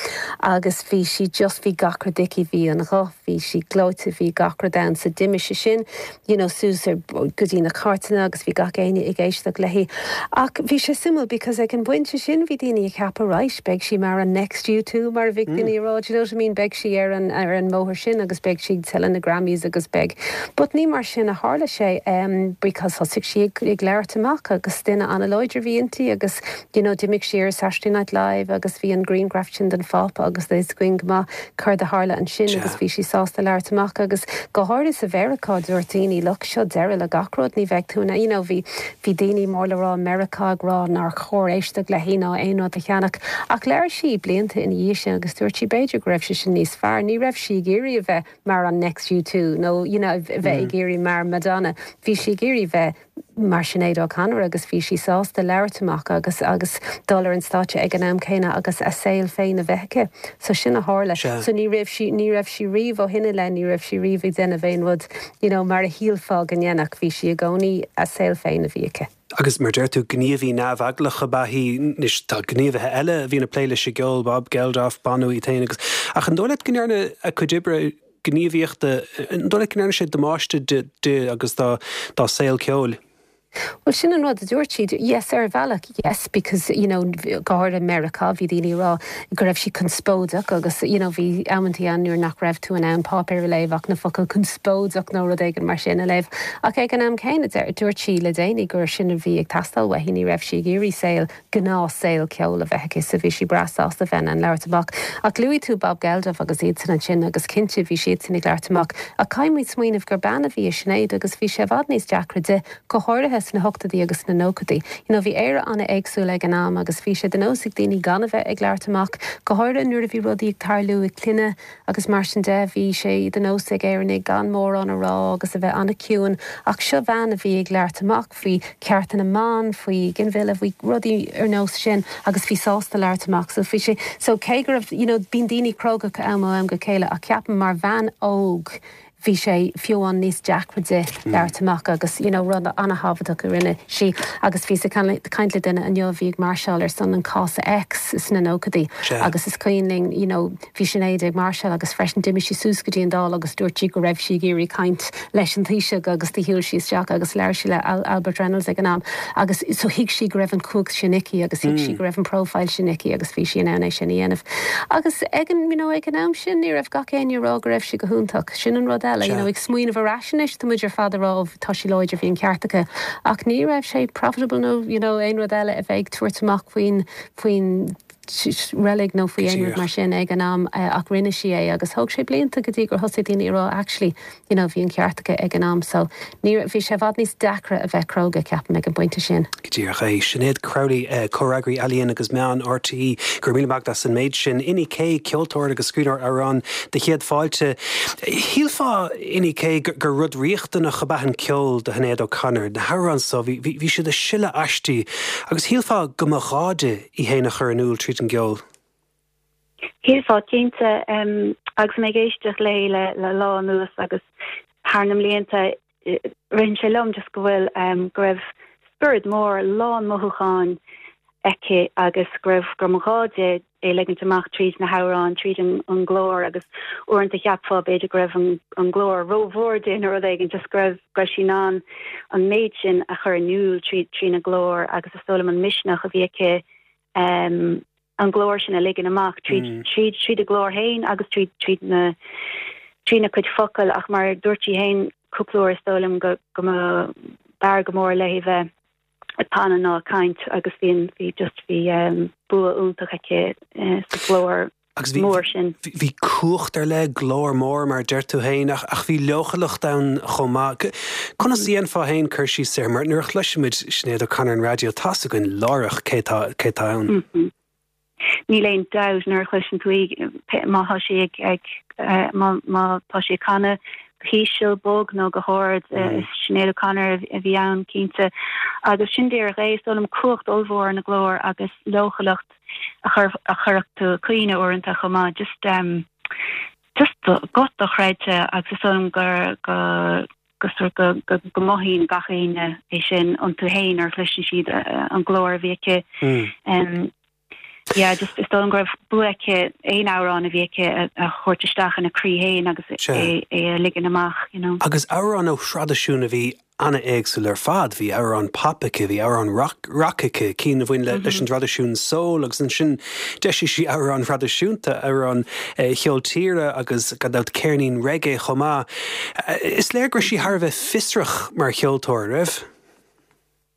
agus bhí sí just, bhí gach rud aici, bhí an ghuth, bhí sí gleoite, bhí gach rud ann. So d'imigh sé sin you know suas ar, go dtí na cairteanna agus bhí gach éinne ag éisteacht léi. Ach bhí sé suimiúil because ag an bpointe sin bhí daoine ag ceapadh right, beidh sí mar an next U two mar a bhí daoine ag rá, do you know what I mean, beidh sí ar an, ar an mbóthar sin agus beidh sí ag tuilleadh na Grammys agus beidh. But ní mar sin a tharla sé um, because thosaigh sí ag, ag labhairt amach agus duine an-láidir a bhí inti agus you know d'imigh sí ar Saturday Night Live agus bhí an grianghraf sin den Phápa agus tá a fhios againn go maith céard a tharla ansin agus bhí sí sásta labhairt amach agus go háirithe sa Mheiriceá dúirt daoine look seo deireadh le gach rud ní bheidh tú in you know bhí bhí daoine mór le rá i Meiriceá ag rá nár chóir éisteacht léi ná aon rud a cheannach ach labhair sí blianta ina dhiaidh sin agus dúirt sí b'fhéidir go raibh sé sin níos fearr ní raibh sí ag iarraidh a bheith mar an next U two nó you know bheith ag iarraidh mar Madonna bhí sí ag iarraidh bheith mar Sinéad O'Connor agus bhí sí sásta labhairt amach agus agus dul ar an stáitse ag an am céanna agus a saol féin a bheith aici. So sin a tharla. So ní raibh sí ní raibh sí riamh ó shin i leith, ní raibh sí riamh ag déanamh aon rud you know mar a shílfeá go ndéanfadh, bhí sí i gcónaí a saol féin a bhí aici. Agus mar deir tú gníomhaí neamheaglach ab ea í, anois tá gníomhaithe eile a bhíonn ag plé leis an gceol, Bob Geldof, Bono iad féin agus ach an dóigh leat go ndearna a cuid oibre gníomhaíochta, an dóigh leat go ndearna sé damáiste di agus dá saol ceoil? Well sin an rud a dúirt siad yes ar bhealach yes because you know go háirithe Meiriceá bhí daoine ag rá go raibh sí conspóideach agus you know bhí amantaí ann nuair nach raibh tú in ann páipéar a léamh ach na focail conspóideach nó rud éigin mar sin a léamh ach ag an am céanna dúirt sí le déanaí gur sin a bhí ag teastáil uaithi ní raibh sí ag iarraidh saol gnáthshaol ceoil a bheith aici so bhí sí breá sásta bheith in ann labhairt amach ach luaigh tú Bob Geldof agus iadsan ansin agus cinnte bhí siadsan ag labhairt amach ach caithfidh muid smaoineamh gur bean a bhí i Sinéad agus bhí sé i bhfad níos deacra di go háirithe sna hochtóidí agus sna nóchaidí. You know, bhí Éire an-éagsúil ag an am agus bhí sé de nós ag daoine gan a bheith ag labhairt amach, go háirithe nuair a bhí rudaí ag tarlú i gclanna agus mar sin de, bhí sé de nós ag Éireannaigh gan mórán a rá agus a bheith an-chiúin. Ach seo bhean a bhí ag labhairt amach faoi chearta na mban, faoi ghinmhilleadh, faoi rudaí ar nós sin agus bhí sásta labhairt amach. So bhí sé so cé go raibh you know, bíonn daoine cróga am ó am go chéile ach ceapaim mar bhean óg bhí sé fiú amháin níos deacra di labhairt amach agus you know, rud an-thábhachtach a rinne sí agus bhíos ag caint le duine inniu a bhí ag máirseáil ar son an cás X sna nóchaidí agus is cuimhin linn you know, bhí Sinéad ag máirseáil agus freisin d'imigh sí suas go dtí an Dáil agus dúirt sí go raibh sí ag iarraidh caint leis an Taoiseach agus do shiúil sí isteach agus labhair sí le Al Albert Reynolds ag an am agus so thuig sí go raibh an chumhacht sin aici agus thuig sí mm. go raibh an profile sin aici agus bhí sí in ann é sin a dhéanamh. Agus ag an you know, ag an am sin ní raibh gach éinne ag rá go raibh sí go hiontach sin an rud eile you know, ag smaoineamh ar ais anois tá muid ar fad ag rá tá sí láidir bhí an ceart aici ach ní raibh sé profitable nó you know, aon rud eile a bheith ag tabhairt amach faoin faoin reilig nó faoi aon rud mar sin ag an am eh, ach rinne sí é agus thóg sé blianta go dtí gur thosaigh daoine ag rá actually you know, bhí an ceart aici ag an am so ní bhí sé i bhfad níos deacra a bheith cróga ceapaim ag an bpointe sin. Go díreach é Sinéad Crowley eh, comhfhreagraí ealaíon agus meán RTÉ go raibh míle maith agat as an méid sin Inni K ceoltóir agus scríbhneoir amhrán de chéad fáilte. Shílfeá Inni K gur rud riachtanach ab ea an ceol do Shinéad O'Connor, na hamhráin so bhí siad ag sileadh aisti, agus shílfeá go mba ghá di í féin a chur in iúl tríd an gceol. Shílfeá cinnte um, agus mé ag éisteacht léi le le lá anuas agus thar na mblianta ritheann sé liom just go bhfuil um, go raibh spiorad mór lán mothúcháin aici agus go raibh gur mba ghá di é ligint amach tríd na hamhráin tríd an, an glór agus uaireanta cheapfá b'fhéidir go raibh an, an glór rómhór di nó rud éigin just go raibh go raibh sí in ann an méid sin a chur in iúl trí trína glór agus is dóigh liom an misneach a bhí aici um, an glór sin a ligean amach tríd mm. tríd tríd a glór féin agus tríd tríd na trína cuid focal ach mar dúirt sí féin cúpla uair is dóigh liom go go mb'fhearr go mór léi bheith ag canadh ná caint agus bhíonn bhí just bhí um, bua iontach aici uh, sa glór Agus bhí mór sin. Bhí cumhacht ar leith glór mór mar deir tú féin ach ach bhí leochaileacht ann chomh maith. Conas a dhéanfá féin cur síos air mar nuair a chloisimid Sinéad O'Connor an raidió tá a fhios againn láithreach cé tá cé tá ann. Mm -hmm. Níl aon dabht nuair a chloiseann tú í má tá sí ag ag eh, má tá sí ag canadh go híseal bog nó go hard mm. is Sinéad O'Connor a bhí ann cinnte agus sin díreach é is dóigh liom cumhacht ollmhór ina glór agus leochaileacht a chur a chuirfeadh tú ag caoineadh uaireanta chomh maith just um, just go dochreidte agus is dóigh liom gur go go sort go go go mothaíonn gach éinne é sin iontu féin nuair a chloiseann siad an glór a bhí aici. Mm. Um, yeah, just is dóigh liom go raibh bua aici aon amhrán a bhí aici a thabhairt isteach ina croí féin agus é é a ligean amach, you know. Agus amhráin ó thraidisiún a bhí an-éagsúil ar fad, bhí amhrán pop aici, bhí amhrán rock rock aici, cinn a bhain le leis an traidisiún soul agus ansin d'eisigh sí amhráin thraidisiúnta, amhráin eh, cheol tíre agus gan dabht ceirnín reggae chomh maith. Eh, Is léir go raibh sí thar a bheith fiosrach mar cheoltóir raibh?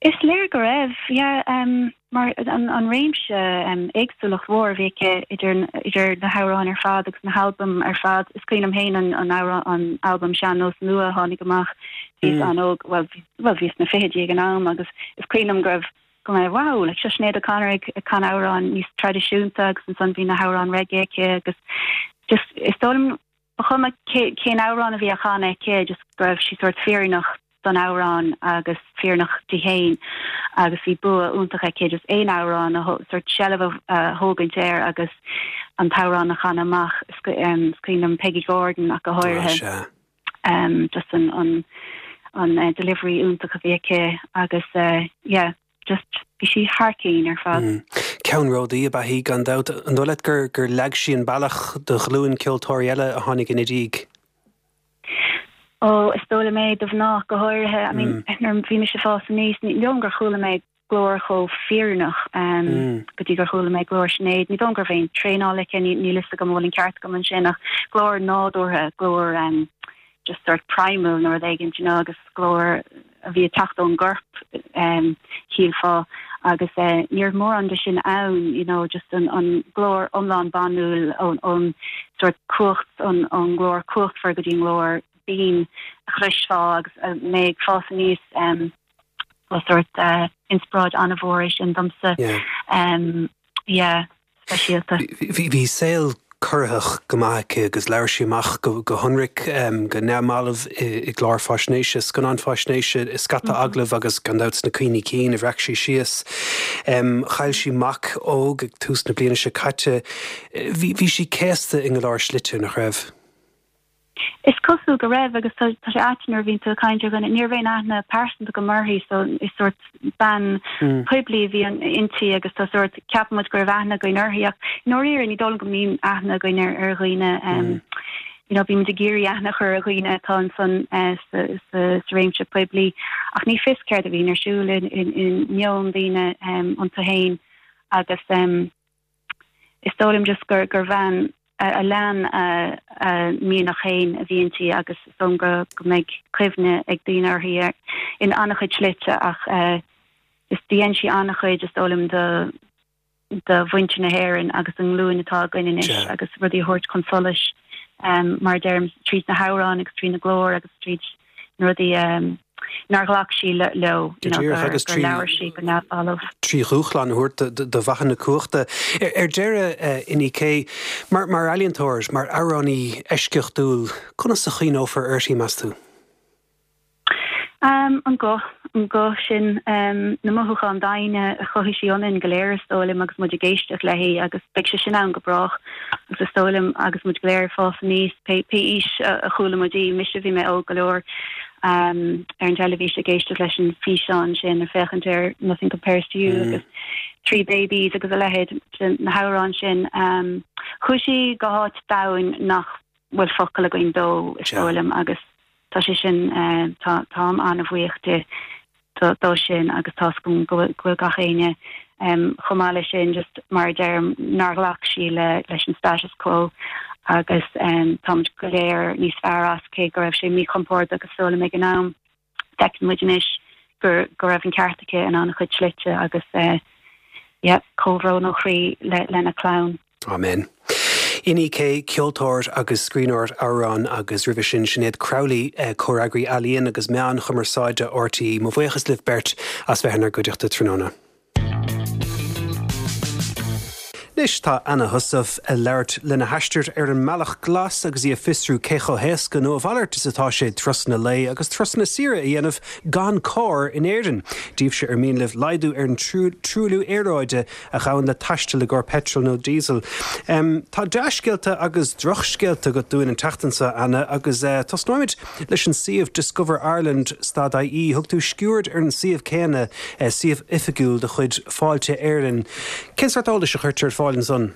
Is léir go raibh yeah, um, mar an, an réimse um, éagsúlacht mhór a bhí aici idir, idir na hamhráin ar fad agus na halbaim ar fad. Is cuimhin liom féin an, an, amhrán, an albam Sean-Nós Nua a tháinig amach bhíos Mm. an-óg well, well bhíos sna fichidí ag an am agus is cuimhin liom go raibh go mé wow, like, seo Sinéad O'Connor ag ag canadh amhrán níos traidisiúnta agus ansan bhí na hamhráin reggae aici agus just is dóigh liom ba chuma cén amhrán a bhí á chanadh aici just go raibh sí sort fírinneach don amhrán agus fírinneach di féin agus bhí bua iontach aici just aon amhrán a sort seilbh a thógaint air agus an t-amhrán a chanadh amach is cuimhin liom Peggy Gordon ach go háirithe um, just an an an uh, delivery iontach a bhí aici agus uh, yeah, just bhí sí thar cionn ar fad. Mm. Ceannródaí ab ea í gan dabht an dóigh leat gur gur leag sí an bealach do ghlúin ceoltóirí eile a tháinig ina diaidh. Ó, is dóigh liom é do mhná go háirithe. I mean, nuair a bhí mise ag fás aníos, ní dóigh liom gur chuala mé glór chomh fírinneach go dtí gur chuala mé glór Sinéad. Ní dóigh liom go raibh aon traenáil aici, níl fhios agam an bhfuil an ceart agam ansin, ach glór nádúrtha, glór just sort primal nó rud éigin, you know, agus glór a bhí ag teacht ón gcorp, shílfeá, agus ní raibh mórán de sin ann, you know, just an an glór iomlán banúil ón ón sort cumhacht, an an glór cumhachtmhar go dtí an glór binn a chloisfeá agus mé ag fás aníos, ba sort inspioráid an-mhór é sin domsa. Yeah, speisialta. Bhí saol corraitheach go maith aici agus labhair sí amach go hionraic, go neamhbhalbh i gclár faisnéise, scannán faisnéise, i scata agallamh agus gan dabht sna cuimhní cinn a bhreac sí síos. Chaill sí mac óg ag tús na bliana seo caite. Bhí sí céasta i go leor slite, nach raibh? Is cosúil go raibh agus tá sé ait nuair a bhíonn tú ag caint ar dhuine, ní raibh aon aithne pearsanta agam uirthi so is sórt bean poiblí a bhí inti agus tá sórt, ceapann muid go raibh aithne againn uirthi ach i ndáiríre ní dóigh liom go mbíonn aithne againn ar ar dhaoine you know bímid ag iarraidh aithne a chur ar dhaoine atá ansan sa sa sa réimse poiblí ach ní fios céard a bhíonn ar siúl i i meon daoine iontu féin agus is dóigh liom just gur gur bhean a lean a mianach féin a bhí inti agus is dóigh liom go go mbeidh cuimhne ag daoine uirthi in an-chuid slite ach is dhein sí an-chuid is dóigh liom do do mhuintir na hÉireann agus an nglúin atá againn anois agus rudaí a thabhairt chun solais mar a deirim tríd na hamhráin agus trína glór agus tríd na rudaí nár ghlac sí leo, you know, gur agus gur labhair sí go neamhbhalbh. Trí dhúshlán a thabhairt do mhaithe na cumhachta. Ar deireadh, Inni-K, mar mar ealaíontóir, mar amhránaí eisceachtúil, conas a chuimhneofar uirthi, meas tú? Um, an guth, an guth sin, um, na mothúcháin daingne a chothaigh sí ionainn go léir is dóigh liom agus muid ag éisteacht léi agus beidh sé sin ann go brách agus is dóigh liom agus muid go léir ag fás aníos pé pé aois a chuala muid í, mise bhí mé óg go leor um, ar an teilifís ag éisteacht leis an físeán sin ar féachaint ar Nothing Compares to You mm. agus Three Babies agus a leithéid de na hamhráin sin. Um, chuaigh sí go háit domhain nach bhfuil focal againn dó is dóigh liom agus tá sé sin tá táim an-bhuíoch di dó sin agus tá's agam go bhfuil gach éinne chomh maith leis sin just mar a deirim nár ghlac sí le leis an status quo agus táimid go léir níos fearr as cé go raibh sé míchompordach is dóigh liom ag an am. Feiceann muid anois gur go raibh an ceart aici in an-chuid slite agus yeah comhbhrón ó chroí le lena clann. Amen. Inni-K, ceoltóir agus scríbhneoir amhrán agus roimhe sin Sinéad Crowley, comhfhreagraí ealaíon agus meáin chumarsáide RTÉ. Mo bhuíochas libh beirt as bheith inár gcuideachta tráthnóna. Anois tá Anna Heussaff ag labhairt lena haistear ar an mBealach Glas agus í ag fiosrú cé chomh héasca nó a mhalairt is atá sé turasanna lae agus turasanna saoire a dhéanamh gan carr in Éirinn. Daoibhse ar mian libh laghdú ar an truailliú aeráide a ghabhann le taisteal i gcarr peitril nó díosail. Tá dea-scéalta agus drochscéalta agat dúinn an tseachtain seo, Anna, agus tosnóimid leis an suíomh Discover Ireland stad IE. Thug tú sciuird ar an suíomh céanna, suíomh oifigiúil de chuid Fáilte Éireann. Cén sórt eolais a chuirtear ar fáil ansan?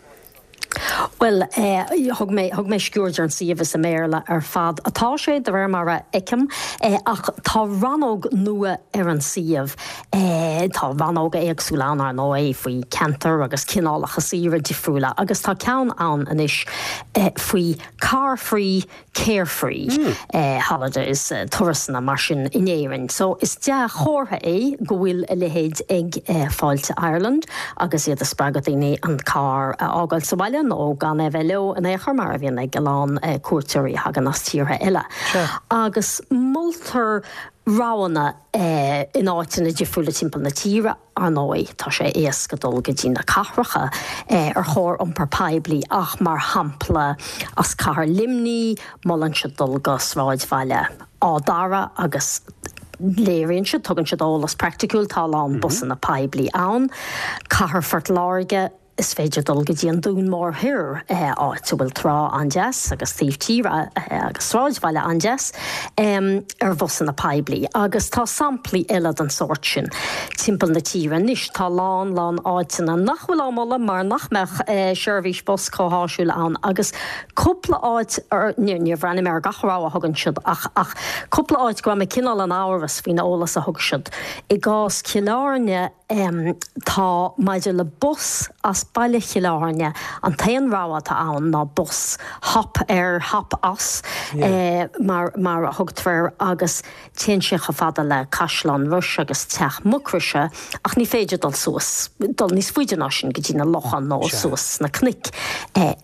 Bhuel, thug mé, thug mé sciuird ar an suíomh is i mBéarla ar fad atá sé, de réir mar a fheicim, ach tá rannóg nua ar an suíomh. Tá rannóga éagsúla ann, ar ndóigh, faoi cheantair agus cineálacha saoire difriúla agus tá ceann ann anois faoi car free, carefree holidays, turasanna mar sin in Éirinn. So is dea-chomhartha é go bhfuil a leithéid ag Fáilte Ireland agus iad ag spreagadh daoine an carr a fhágáil sa bhaile nó gan é a bheith leo in aon chor mar a bhíonn ag a lán cuairteoirí a thagann as tíortha eile. Agus moltar roghanna in áiteanna difriúla timpeall na tíre, ar ndóigh, tá sé éasca dul go dtí na cathracha ar chóir iompar poiblí ach mar shampla as cathair Luimnigh, molann siad dul go sráidbhaile Áth Dara agus léiríonn siad, tugann siad eolas praiticiúil, tá a lán busanna poiblí ann. Cathair Phort Láirge, Is féidir dul go dtí an Dún Mór Thoir, áit a bhfuil trá an-deas agus taobh tíre agus sráidbhaile an-deas, ar bhusanna poiblí. Agus tá samplaí eile den sórt sin timpeall na tíre anois. Tá lán lán áiteanna nach bhfuil á moladh mar nach mbeadh seirbhís bus chomh háisiúil ann agus cúpla áit, níor bhreathnaigh mé ar gach rogha a thugann siad ach ach cúpla áit go raibh mé cineál in amhras faoin eolas a thug siad. I gcás Chill Airne, Tá, maidir le bus as baile Chill Airne, an t-aon rogha atá ann ná bus hop ar, hop as, mar mar a thugtar air, agus téann sé chomh fada le Caisleán Rois agus Teach Mucroise, ach ní féidir dul suas, dul níos faide ná sin go dtí na locha nó suas sna cnoic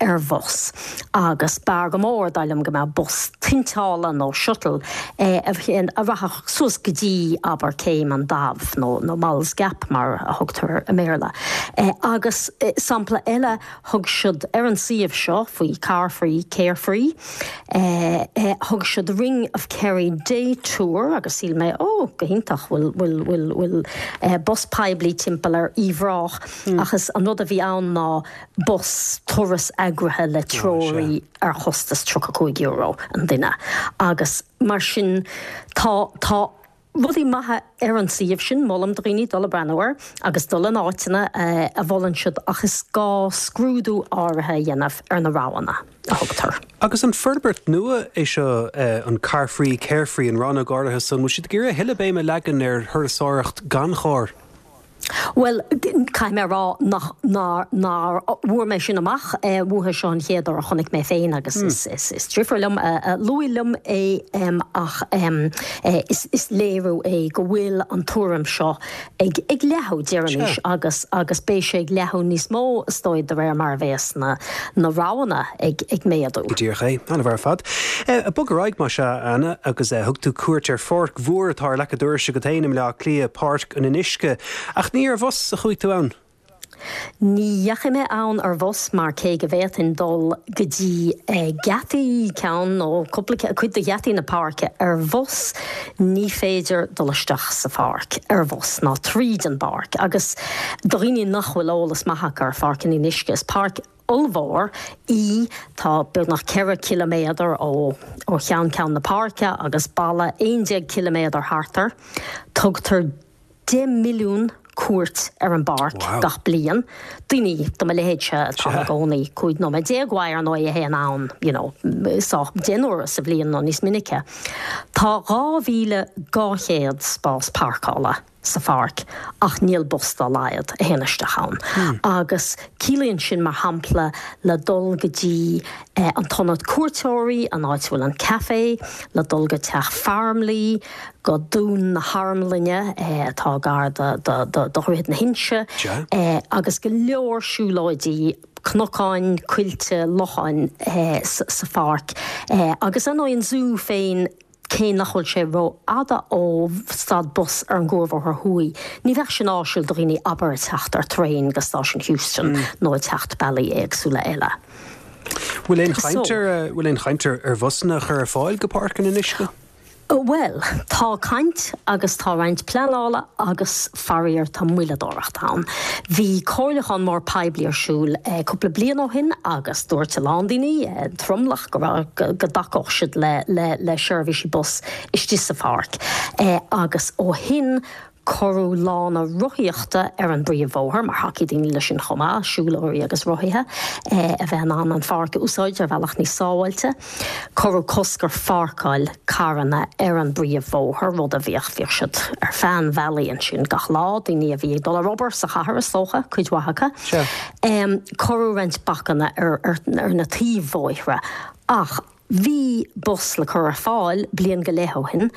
ar bhus. Agus b'fhearr go mór, dar liom, go mbeadh bus tointeála nó shuttle a rachadh suas go dtí, abair, Céim an Daimh nó nó Moll's Gap mar a thugtar air i mBéarla. Agus sampla eile, thug siad ar an suíomh seo faoi Car Free, Care Free, thug siad Ring of Kerry Day Tour agus shíl mé, ó, go hiontach, bhfuil, bhfuil, bhfuil, bhfuil bus poiblí timpeall ar Uíbh Ráthach ach is an rud a bhí ann ná bus turas eagraithe le treoraí ar chostas tríocha cúig euro an duine agus mar sin tá, tá rudaí maithe ar an suíomh sin, molaim do dhaoine dul ag breathnú air agus dul in áiteanna a mholann siad ach is gá scrúdú áirithe a dhéanamh ar na roghanna a thugtar. Agus an forbairt nua é seo an Car Free, Care Free, an rannóg áirithe san, bhfuil siad ag iarraidh a thuilleadh béime a leagan ar thurasóireacht gan charr? Bhuel, caithfidh mé a rá nach, nár, nár bhfuair mé sin amach uathu. Seo an chéad uair a chonaic mé féin agus is, is, is deirfiúr liom a luaigh liom é ach is, is léiriú é go bhfuil an tuairim seo ag, ag leathadh, déarfainnse, agus, agus beidh sé ag leathadh níos mó is dóigh de réir mar a bheas na, na roghanna ag, ag méadú. Go díreach é. An-mhaith ar fad. Bog ar aghaidh, más ea, a Anna, agus thug tú cuairt ar pháirc mhór atá ar leac an dorais agat féin i mBleá Cliath, Páirc an Fhionnuisce. Ach ní ar bhus a chuaigh tú ann? Ní dheachaigh mé ann ar bhus mar cé go bhféadfainn dul go dtí geataí, ceann nó cúpla, cuid de gheataí na páirce ar bhus, ní féidir dul isteach sa pháirc ar bhus ná tríd an bpáirc. Agus do dhaoine nach bhfuil eolas maith acu ar Pháirc an Fhionnuisce, is páirc ollmhór í, tá beagnach ceithre ciliméadar ó ó cheann ceann na páirce agus balla aon déag ciliméadar thart air. Tugtar deich milliún cuairt ar an bpáirc gach bliain. Daoine de mo leithéidse atá ina gcónaí cúig nóiméad déag uaidh ar ndóigh a théann ann you know sách deich n-uaire sa bhliain nó níos minice. Tá dhá mhíle dhá chéad spás páirceála sa pháirc ach níl bus dá laghad a théann isteach ann. Agus ciallaíonn sin mar shampla le dul go dtí an t-ionad cuairteoirí, an áit a bhfuil an café, le dul go Teach Farmleigh, go Dún na hArmlainne atá gar do Dhroichead na hInse, agus go leor siúlóidí, cnocáin, coillte, locháin sa pháirc. Agus ar ndóigh an zú féin, cé nach bhfuil sé rófhada ó stad bus ar an gCuarbhóthar Thuaidh, ní bheadh sin áisiúil do dhaoine abair ag teacht ar traein go Stáisiún Heuston nó ag teacht bealaí éagsúla eile. Bhfuil aon chaint ar bhfuil aon chaint ar bhusanna a chur ar fáil go Páirc an Fhionnuisce? Bhuel, tá caint agus tá roinnt pleanála agus faraor tá moilleadóireacht ann. Bhí comhairliúchán mór poiblí ar siúl cúpla bliain ó shin agus dúirt a lán daoine, tromlach, go raibh, go dtacódh siad le, le, le seirbhísí bus istigh sa pháirc. Agus ó shin Cuireadh lána rothaíochta ar an bpríomhbhóthar, mar thacaigh daoine leis sin chomh maith, siúlóirí agus rothaithe a bheith in ann an pháirc a úsáid ar bhealach níos sábháilte. Cuireadh cosc ar pháirceáil carranna ar an bpríomhbhóthar, rud a bhíodh, bhíodh siad ar feadh an bhealaigh ansin gach lá, daoine a bhí ag dul ar obair sa chathair is dócha, cuid mhaith acu. Cuireadh roinnt bacanna ar na taobh-bhóithre ach. Bhí bus le cur ar fáil bliain go leith ó shin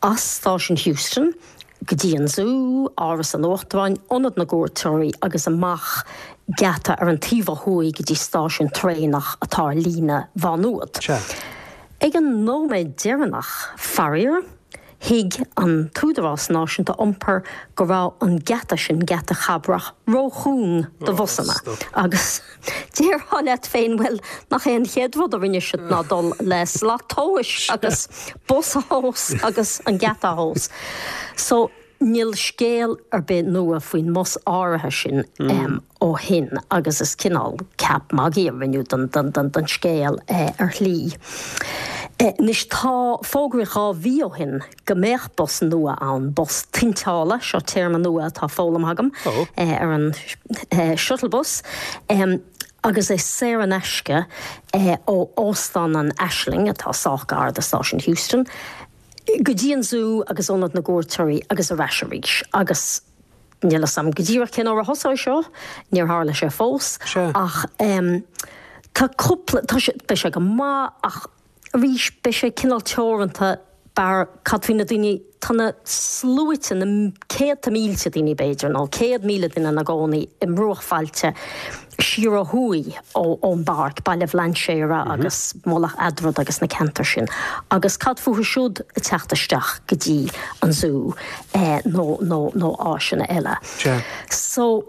as Stáisiún Heuston go dtí an Zú, Áras an Uachtaráin, Ionad na gCuairteoirí agus amach geata ar an taobh ó thuaidh go dtí stáisiún traenach atá ar líne Mhá Nuad. Ag an nóiméad deireanach, faraor, thuig an tÚdarás Náisiúnta Iompair go raibh an geata sin, Geata Chabrach, róchúng do bhusanna agus déarfá leat féin, bhuel, nach é an chéad rud a rinne siad ná dul le slat tomhais agus bus a thomhas agus an geata a thomhas. So, Níl scéal ar bith nua faoin mbus áirithe sin ó shin agus is cineál ceap magaidh a rinneadh den, den, den, den scéal ar shlí. Anois tá, fógraíodh dhá mhí ó shin go mbeadh bus nua ann, bus tointeála, seo téarma nua atá foghlamtha agam, ar an shuttle bus, agus é saor in aisce ó Óstán an Aisling, atá sách gar do Stáisiún Heuston, go dtí an zú agus Ionad na gCuairteoirí agus ar ais arís. Agus níl 'fhios a'm go díreach cén uair a thosóidh seo, níor tharla sé fós, ach tá cúpla, tá sé, beidh sé go maith ach arís beidh sé cineál teoranta bar cad faoi na daoine, tá na sluaite, na céadta mílte daoine b'fhéidir, nó céad míle duine ina gcónaí i mbruachbhailte siar ó thuaidh ón bpáirc, Baile Bhlainséara agus Mullach Eadrad agus na ceantair sin. Agus cad fúthu siúd ag teacht isteach go dtí an zú nó nó nó áiseanna eile. So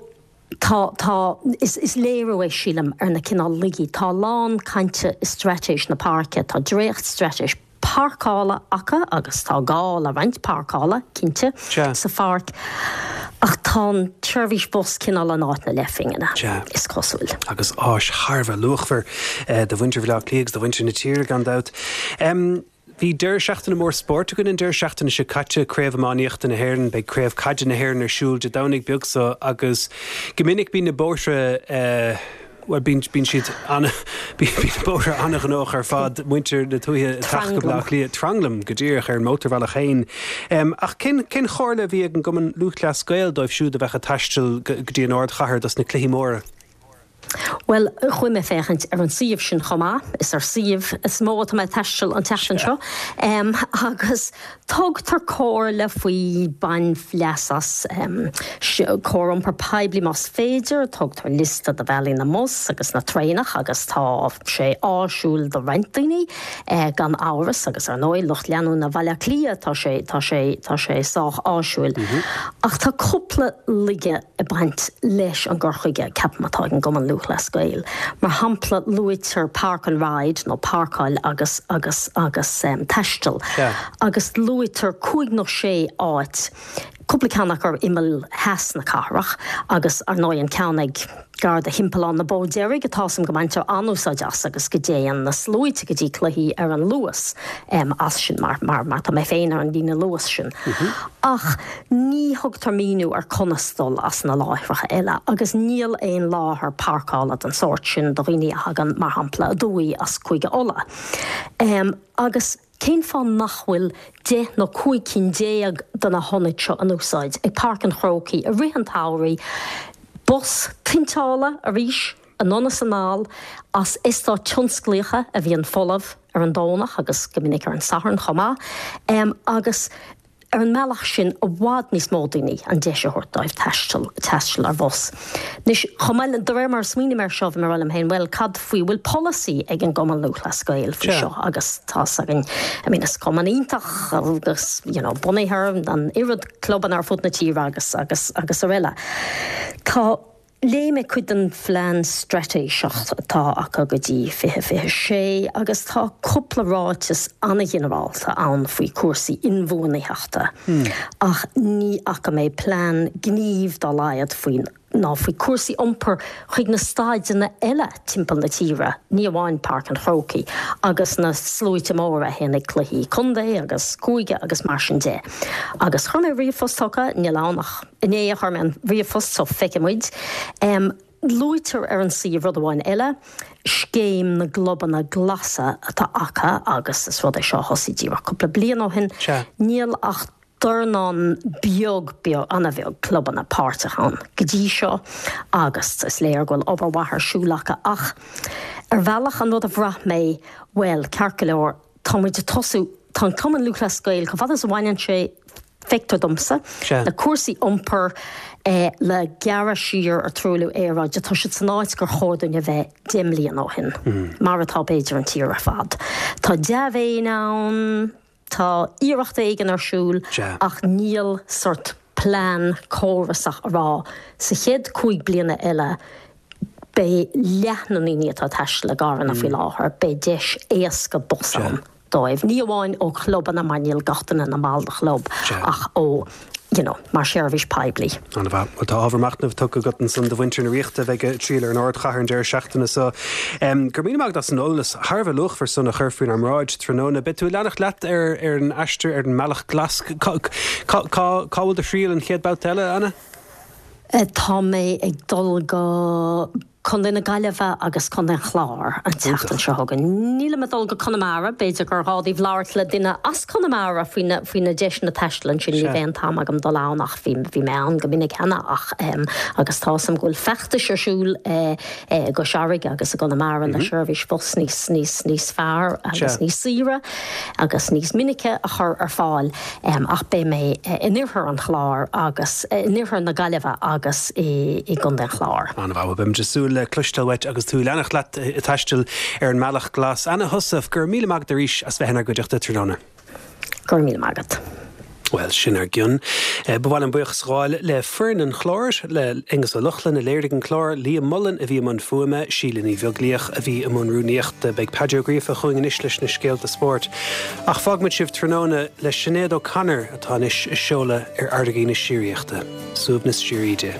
tá tá is is léiriú é sílim ar na cineál laigí. Tá a lán cainte i straitéis na páirce, tá dréachtstraitéis páirceála acu agus tá gá le roinnt páirceála, cinnte, sa pháirc ach tá an tseirbhís bus cineál in áit na leathphingine, is cosúil. Agus áis thar a bheith luachmhar do mhuintir Bhaile Átha Cliath agus do mhuintir na tíre gan dabht. Bhí deireadh seachtaine mór spóirt againn an deireadh seachtaine seo caite, Craobh Iománaíochta na hÉireann, beidh Craobh Caide na hÉireann ar siúl Dé Domhnaigh beag seo agus go minic bíonn na bóithre, Bhuel, bíonn, bíonn siad ana, bíonn na bóithre ana-ghnóthach ar fad, muintir na tuaithe ag teacht go Baile Átha Cliath, tranglam go díreach ar an mótarbhealach féin. Ach cén, cén chomhairle a bhí ag an gCumann Lúthchleas Gael dóibh siúd a bheadh ag taisteal go dtí an ardchathair dos na cluichí móra? Bhuel, chuaigh mé féachaint ar an suíomh sin chomh maith, is ar suíomh is mó atá mé ag taisteal an tseachtain seo, agus tugtar comhairle faoi bain leas as cóir iompar poiblí más féidir, tugtar liosta de bhealaí na mbus agus na traenach agus tá sé áisiúil do roinnt daoine gan amhras agus ar ndóigh lucht leanúna Bhaile Átha Cliath tá sé tá sé tá sé sách áisiúil. Ach tá cúpla laige ag baint leis an gcur chuige, ceapaim, atá ag an gCumann Lúthchleas Gael. Mar shampla, luaitear park and ride nó páirceáil agus agus agus taisteal agus luaitear cúig nó sé áit, cúpla ceann acu ar imeall theas na cathrach agus ar ndóigh an ceann ag gar do Thimpeallán na Bó Deirge atá 's a'm go mbaintear an-úsáid as agus go dtéann na sluaite go dtí cluichí ar an Luas as sin mar mar mar tá mé féin ar an líne Luas sin. Ach ní thugtar míniú ar conas dul as na láithreacha eile agus níl aon láthair páirceála den sórt sin do dhaoine a thagann, mar shampla, aduaidh as Cúige Uladh. Agus cén fáth nach bhfuil deich nó cúig cinn déag de na hionaid seo in úsáid ag Páirc an Chrócaigh i rith an tsamhraidh? Bus tointeála arís anonn is anall as eastáit tionsclaíocha a bhíonn folamh ar an Domhnach agus go minic ar an Satharn chomh maith agus ar an mbealach sin i bhfad níos mó daoine an deis a thabhairt dóibh taisteal taisteal ar bhus. Anois, chomh maith le, de réir mar a smaoinigh mé air seo, bhí mé ag rá liom féin, bhuel, cad faoi, bhfuil polasaí ag an gCumann Lúthchleas Gael faoi seo agus tá's againn, I mean, is cumann iontach agus, you know, bunaithe ar an oiread clubanna ar fud na tíre agus, agus, agus araile. Tá. Léigh mé cuid den phlean straitéiseach atá acu go dtí fiche fiche sé agus tá cúpla ráiteas an-ghinearálta ann faoi chúrsaí inbhuanaitheachta ach ní fhaca mé plean gnímh dá laghad faoi ná faoi chúrsaí iompair chuig na staideanna eile timpeall na tíre, ní amháin Páirc an Chrócaigh agus na sluaite móra a théann ag cluichí contae agus cúige agus mar sin de. Agus chuir mé ríomhphost chucu, níl ann ach. Inné a chuir mé an ríomhphost so feicfidh muid. Luaitear ar an suíomh rud amháin eile, scéim na gclubanna glasa atá acu agus is rud é seo a thosaigh díreach cúpla bliain ó shin. Níl ach dornán beag, beag, an-bheag clubanna páirteach ann go dtí seo agus is léir go bhfuil obair mhaith ar siúl acu ach ar bhealach an rud a bhraith mé, bhuel, ceart go leor, tá muid ag tosú, tá an Cumann Lúthchleas Gael, chomh fada is a bhaineann sé, feictear domsa, le cúrsaí iompair, le gearradh siar ar truailliú aeráide, tá siad san áit gur chóir dúinn a bheith deich mbliana ó shin, mar atá b'fhéidir an tír ar fad. Tá dea-mhéin ann, tá iarracht éigin ar siúl, ach níl sort plean córasach a rá, sa chéad cúig bliana eile, beidh leath na ndaoine atá ag taisteal i gcarranna faoi láthair, beidh deis éasca bus ann. dóibh, ní amháin ó chlubanna, mar níl gach duine ina mball de chlub, ach ó you know, mar sheirbhís poiblí. An-mhaith. Bhuel, tá ábhar machnaimh tugtha agat ansan do mhuintir na Ríochta a bheidh ag triall ar an ardchathair an deireadh seachtaine seo. Go raibh míle maith agat as an eolas thar a bheith luachmhar san a chur faoinár mbráid tráthnóna. Beidh tú ag leanacht leat ar ar an aistear ar an mbealach glas. Cá cá cá bhfuil do thriall an chéad babhta eile, Anna? Tá mé ag dul go Contae na Gaillimhe agus Contae an Chláir an tseachtain seo chugainn. Nílim ag dul go Conamara, b'fhéidir gur ghá daoibh labhairt le duine as Conamara faoi na faoi na deiseanna taistil ansin, ní bheidh an t-am agam dul ann ach bhí bhí mé ann go minic cheana ach agus tá 'fhios a'm go bhfuil feachtais ar siúl i gCois Fharraige agus i gConamara le seirbhís bhus níos níos níos fearr agus níos saoire agus níos minice a chur ar fáil ach beidh mé in oirthear an Chláir agus in oirthear na Gaillimhe agus i gContae an Chláir. An-mhaith, beimid ag súil le cloisteáil uait agus tú ag leanacht leat ag taisteal ar an mbealach glas. Anna Heussaff, go raibh míle maith agat arís as bheith inár gcuideachta tráthnóna. Go raibh míle maith agat. Bhuel, sin ár gcionn. Ba mhaith liom buíochas a ghabháil le foireann an chláir, le Aonghus Ó Lochlainn a léirigh an clár, Liam Mullen a bhí i mbun fuaime, Síle Ní Bheaglaoich a bhí i mbun rúnaíochta. Beidh Paddy Ó Gríofa chugainn anois leis na scéalta spóirt. Ach fágfaimid sibh tráthnóna le Sinéad O'Connor atá anois á seoladh ar fharraigí na síoraíochta. Suaimhneas síoraí di.